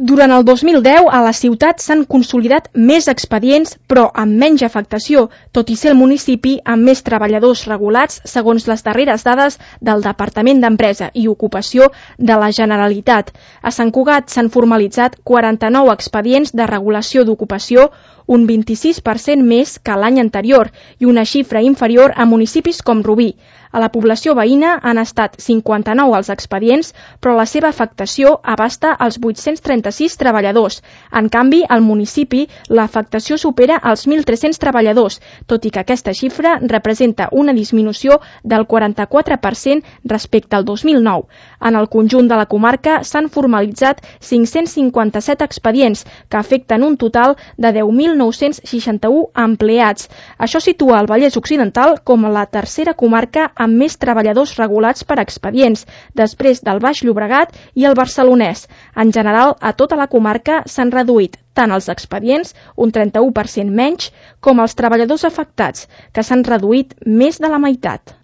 Durant el 2010, a la ciutat s'han consolidat més expedients, però amb menys afectació, tot i ser el municipi amb més treballadors regulats, segons les darreres dades del Departament d'Empresa i Ocupació de la Generalitat. A Sant Cugat s'han formalitzat 49 expedients de regulació d'ocupació, un 26% més que l'any anterior i una xifra inferior a municipis com Rubí. A la població veïna han estat 59 els expedients, però la seva afectació abasta els 836 treballadors. En canvi, al municipi, l'afectació supera els 1.300 treballadors, tot i que aquesta xifra representa una disminució del 44% respecte al 2009. En el conjunt de la comarca s'han formalitzat 557 expedients, que afecten un total de 10.961 empleats. Això situa el Vallès Occidental com la tercera comarca amb més treballadors regulats per expedients, després del Baix Llobregat i el Barcelonès. En general, a tota la comarca s'han reduït tant els expedients, un 31% menys, com els treballadors afectats, que s'han reduït més de la meitat.